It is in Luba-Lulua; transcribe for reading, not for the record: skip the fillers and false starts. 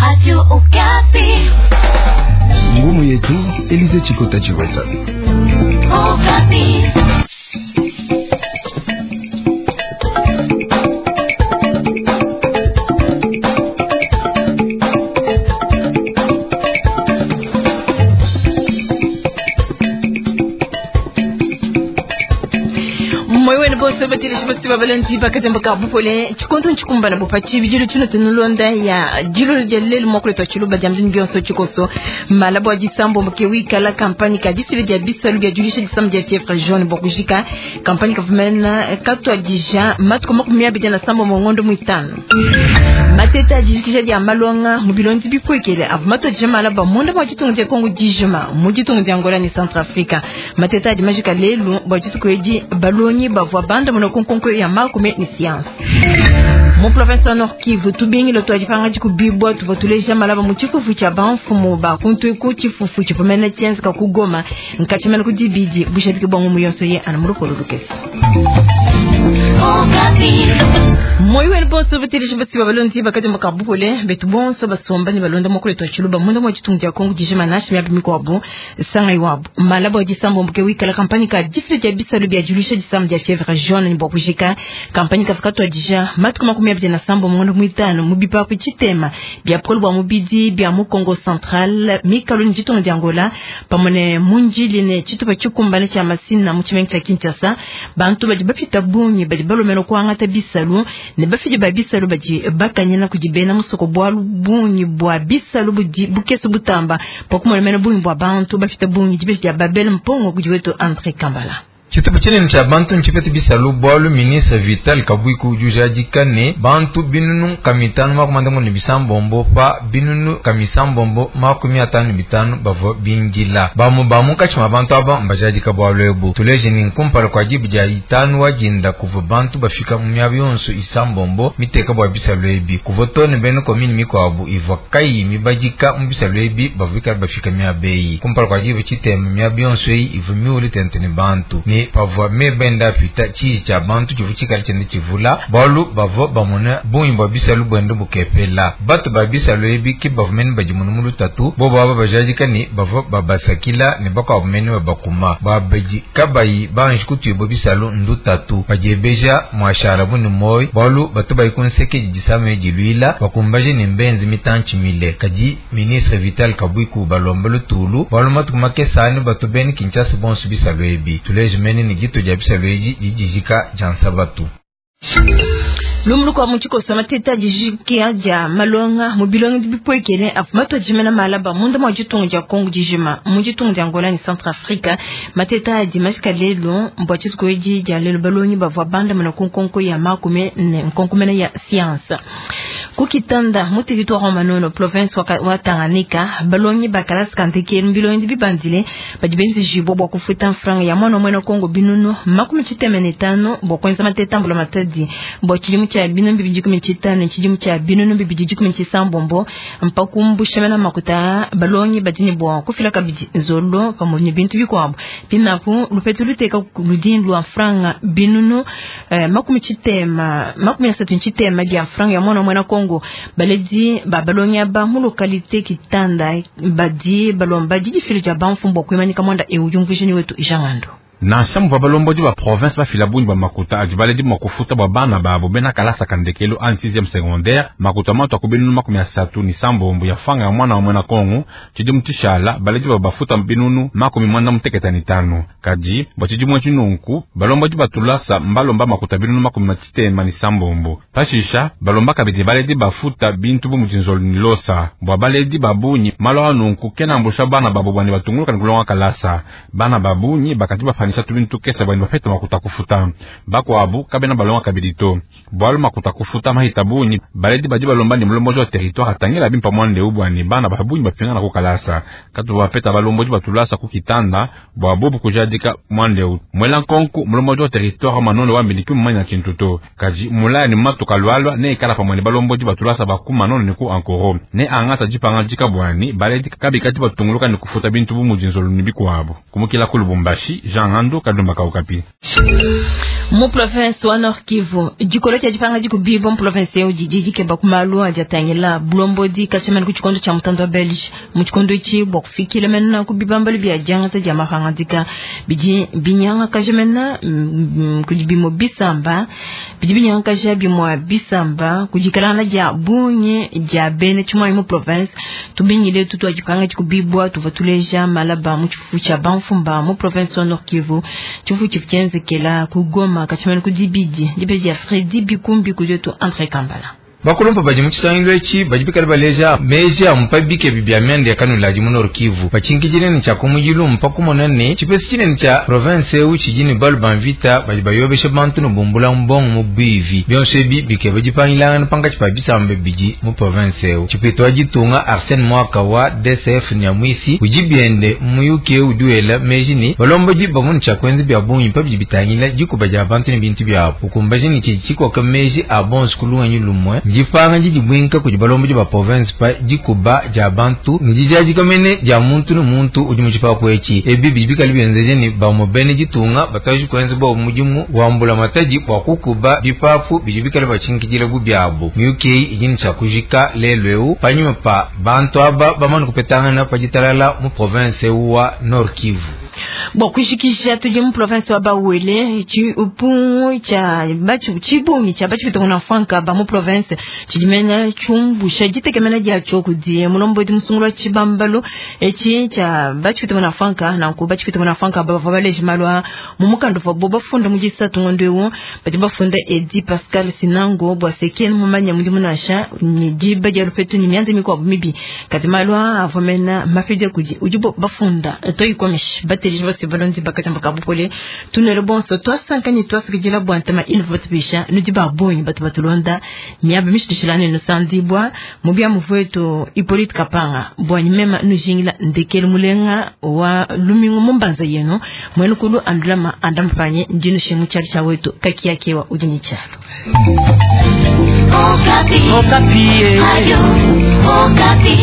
Radio Okapi. Ngumu yetu Elize Chikota Chiweta. Okapi. Moyo bose batirishi basi babalenzi bakatemba ka bupole chikonto nchikumbana bupachi bijilo chino tunulonda ya jilo lya lelo mwakuletwa chiluba jya mjini byonso chikoso malabo ya disambo mke wikala kampani ka disile dia bisalu bya julisha disambo dia fièvre jaune bokujika kampani kavumena katwa dija matuko 27 mongondo mwitano mateta ajijikisha dia malonga mu bilondi bikwekele avu mato dija malaba munda mwa chitungu dia Kongo dijima mu chitungu dia Angola ni Centrafrica mateta adi majika lelu bwa chituku edi balongi bavua banda muna konkonko ya makume ni science mu province wa Nord Kivu tubingilo twajipanga jikubibwa tuva tuleja malaba mu chifufu cha banfumu bakuntu ku chifufu chivumene chenzi kugoma nkachimene kudibidi bushadiki bwa ngumu yonso ye ana mulupolo lukesi Okapi. Moyo wenu bonso batirishi basi babalonzi bakati makabupole betu bonso basomba ni balonda mokole to chiluba munda mo chitungu ja Kongo dijima nashi myabi mikwabu sanga iwabu malabo ya disambo mbuke wikala kampani ka difile dia bisalu bya julisha disambo dia fièvre jaune ni bokujika kampani ka fakatwa dija matuko 27 mungondo mwitano mubipa ku chitema bya polo bwa mubidi bya mu Kongo Central mikalo ni chitungu dia Angola pamone munjili ne chitupa chikumbane cha masina mu chimengi cha Kinshasa bantu badi bapita bungi badi balomela kwangata bisalu ne bafidi ba bisalu badi bakanyana kudibena musoko bwalu bungi bwa bisalu budi bukese butamba pakumolemena bungi bwa bantu bafita bungi dibeji dia Babel mpongo kudiwetu Andre Kambala. Chitupa tshinene tshia bantu ntshipete bisalu bwalu ministre Vital Kabwiku udi ujadika ne bantu binunu kamitanu 56 pa binunu kamisambombo 55 bavua bindila bamu bamunkatshi mwa bantu aba mbajadika bwalu ebu tuleje ni nkumpala kwa dibu dia itanu wajinda kuva bantu bafika mu miaba yonso isambombo miteka bwa bisalu ebi kuva tone bene komini mikwabu ivua kayi mibadika mu bisalu ebi bavua bikala bafika miaba eyi kumpala kwa dibu tshitema miaba yonso eyi ivua miule tente ne bantu ne pavua mebenda pita tshiji tshia bantu tshivu tshikala tshiende tshivula bwalu bavua bamona bungi bwa bisalu bwende bukepela bato ba bisalu ebi ke bavua mene badimuna mu lutatu bobo aba bajadika ne bavua babasakila ne bakuabu mene babakuma babadi kabayi banji kutuibua bisalu ndutatu badiebeja mwashala bu ne moyi bwalu bato bayi kunseke didisama ediluila bakumbaje ne mbenzi mitantshi mile kadi ministre Vital Kabwiku balomba lutulu bwalu matuku makesani bato bene Kinshasa bonso bisalu ebi tuleje mene ni gitu dia bisalu edi didijika dia nsabatu. Lumuluko wa muchikoso mateta dijikia dia malonga mu bilongi bipwekele afu jimena malaba munda mwa jitungu dia Kongo dijima mu jitungu dia Angola ni Centrafrica mateta adi mashika lelo mbwa chituku edi dia lelo balongi bavua banda muna kunkonko ya makume ne nkonkomene ya science kukitanda mu territoire Manono province wa Tanganyika balongi bakalasi kanteke bilongi bibandile badi benzi jibo bwa kufuta franga ya mwana mwena Kongo binunu 95 bwa kwenza mateta mbula matadi bwa chilimu cha binu 2015 chidimu cha binu 2016 mpakumbusha makuta balongi badini bwa kufila kabidi zolo pamoja bintu bikwabo pinapo lupetu luteka ludin lwa franga binunu 33 dia franga ya mwana mwana Kongo baledi ba balongi aba mu localité Kitanda badi balomba didi filo dia banfumbo kwemanika mwanda euyumvishini wetu Jangando. Nansha muvua balombodi ba province bafila bungi bwa makuta adi baledi mua kufuta bua bana babo bena kalasa kandekelo an 6e secondaire makuta matu aku binunu 36 ya fanga ya mwana wa mwena Kongo tshidimu tshishala baledi ba bafuta binunu 95 kadi bua tshidimu tshinunku balombodi batulasa mbalomba makuta binunu 97 pashisha balomba kabidi baledi bafuta bintu bu mudinzolo ni losa bua baledi babunyi malo anunku kena ambusha bana babo bwani batunguluka ni kulonga kalasa bana babunyi bakati bafanisha tubintu kesa bwani bafeta makuta kufuta bakwabu kabena balonga kabidi to bwalu makuta kufuta mahita bunyi baledi badi balomba ni mulombozi wa territoire atangela bimpa mwande ubwani bana babunyi bapingana kukalasa katu bapeta balombozi batulasa kukitanda bwa bobu kujadika mwande u mwela nkonku mulombozi wa territoire manono wambiliki mumanya tshintu to kaji mulaya ni matuka lwalwa ne ikala pamwe ni balombozi batulasa bakuma nono ni ku ankoro ne angata jipanga jika bwani baledi kabikati batunguluka ni kufuta bintu bu mudinzolo ni bikuabu kumukila ku Lubumbashi Jean Ngandu, Kalumba Kaukapi. Mu province wa Nord Kivu, dikolo tshia dipanga dikubibwa mu province eu didi dikeba ku malu adi atangila bulombodi kashimani ku tshikondo tshia mutanda wa Belge. Mu tshikondo etshi bua kufikila mena ku bibambalu bia diangata dia mapangadika bidi binyangakaja mena kudi bimue bisamba bidi binyangakaja bimue bisamba kudikalana dia bungi dia bena tshimuanyi mu province. Tubingile tutu dipanga dikubibwa tuvua tuleja malaba mu tshifufu tshia bamfumba mu province wa Nord Kivu. Tshifufu tshifu tshienzekela ku Goma kachimani kudibidi dibidi ya Fredi Bikumbi kujetu Andre Kambala. Bakulumpa badi mu tshisangilu etshi badi bikale baleja meji a mupabike bibia myanda ya kanuladi mu Nord Kivu batshinkidile ne tshia kumujilu mpa kumona ne tshipesi tshinene tshia province eu tshidi ne balu ba mvita badi bayobesha bantu ne bumbula mbongo mu bivi bionso ebi bikeba dipangilangana pankatshi pa bisamba bidi mu province eu. Tshipeta wa ditunga Arsène Mwaka wa DCF Nyamwisi udi biende muyuki eu udi wela meji ne balombodi bamunu tshia kuenza bia bungi pa bidi bitangila dikuba dia bantu ne bintu biabu ukumbaje ne tshidi tshikoka meji a bonso kulunganyi lumwe dipanga didi bwinka kudi balombodi ba province pa dikuba dia bantu ne dijadika mene dia muntu ne muntu udi mu tshipapu etshi. Ebi bidi bikale bienzeje ne bamue bene ditunga bataji kuenza bua mudimu wa mbulamatadi bua kukuba bipapu bidi bikale batshinkidile bu biabu. Miyuki idi ne tshia kujika lelu eu panyima pa bantu aba bamane kupetangana pa ditalala mu province wa Nord Kivu. Bon, kushikisha tudi mu province wa Bawele tshipungu tshia batshu tshibungi tshia batshu bitongona franka ba mu province tshidimena tshumbusha ditekemena dia tshokudi mulombodi musungula tshibambalo etshi tshia batshu bitongona franka nanku batshu bitongona franka bavua baleje malu mu mukanda uvua bafunda mu disatu ngondo eu badi bafunda Edi Pascal Sinango bua sekeni mumanya mudimu nansha ni diba dia lupetu ni mianze mikuabu mibi kadi malu avua mena mapidi kudi udi bafunda toyikomishi bateleji basi balonzi bakatamba kabupole tunelo bonso twasankani twasikijila bwantama inu batubisha nudi babonyi batu batulonda miaba mishitushilane nusandibwa mubya muvetu Hippolyte Kapanga bwanyi mema nujingila ndekele mulenga wa lumingu mumbanza yenu mwenukulu andulama andampanye ndinu shemu chali cha wetu kakiyakewa udi chalo. Okapi. Okapi. Ayo, Okapi.